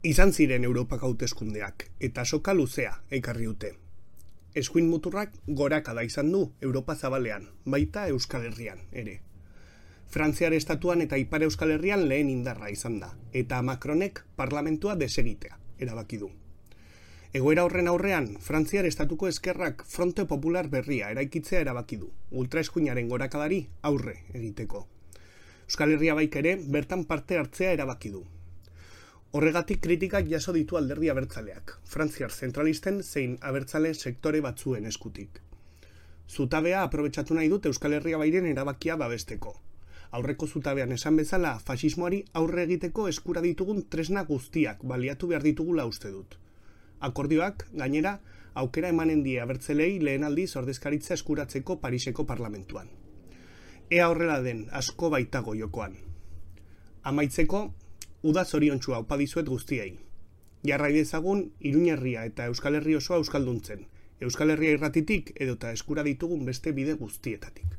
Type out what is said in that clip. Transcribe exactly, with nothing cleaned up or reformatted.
Izan ziren Europak hauteskundeak, eta soka luzea ekarri dute. Eskuin muturrak gorakada izan du Europa zabalean, baita Euskal Herrian ere. Frantziar estatuan eta Ipar Euskal Herrian lehen indarra izan da, eta Macronek parlamentua desegitea erabaki du. Egoera horren aurrean, Frantziar estatuko eskerrak Fronte Popular berria eraikitzea erabaki du, ultraeskuinaren gorakadari aurre egiteko. Euskal Herria baik ere bertan parte hartzea erabaki du. Horregatik kritikak jaso ditu alderdi abertzaleak, frantziar zentralisten zein abertzale sektore batzuen eskutik. Zutabea aprobetxatu nahi dut Euskal Herria bairen erabakia babesteko. Aurreko zutabean esan bezala, fasismoari aurre egiteko eskura ditugun tresna guztiak baliatu behar ditugula uste dut. Akordioak, gainera, aukera emanen die abertzelei lehen aldiz ordezkaritza eskuratzeko Pariseko parlamentuan. Ea horrela den, asko baitago jokoan. Amaitzeko, uda zoriontsua opa dizuet guztiei. Jarrai dezagun Iruñerria eta Euskal Herri osoa euskalduntzen, Euskal Herria irratitik edota eskura ditugun beste bide guztietatik.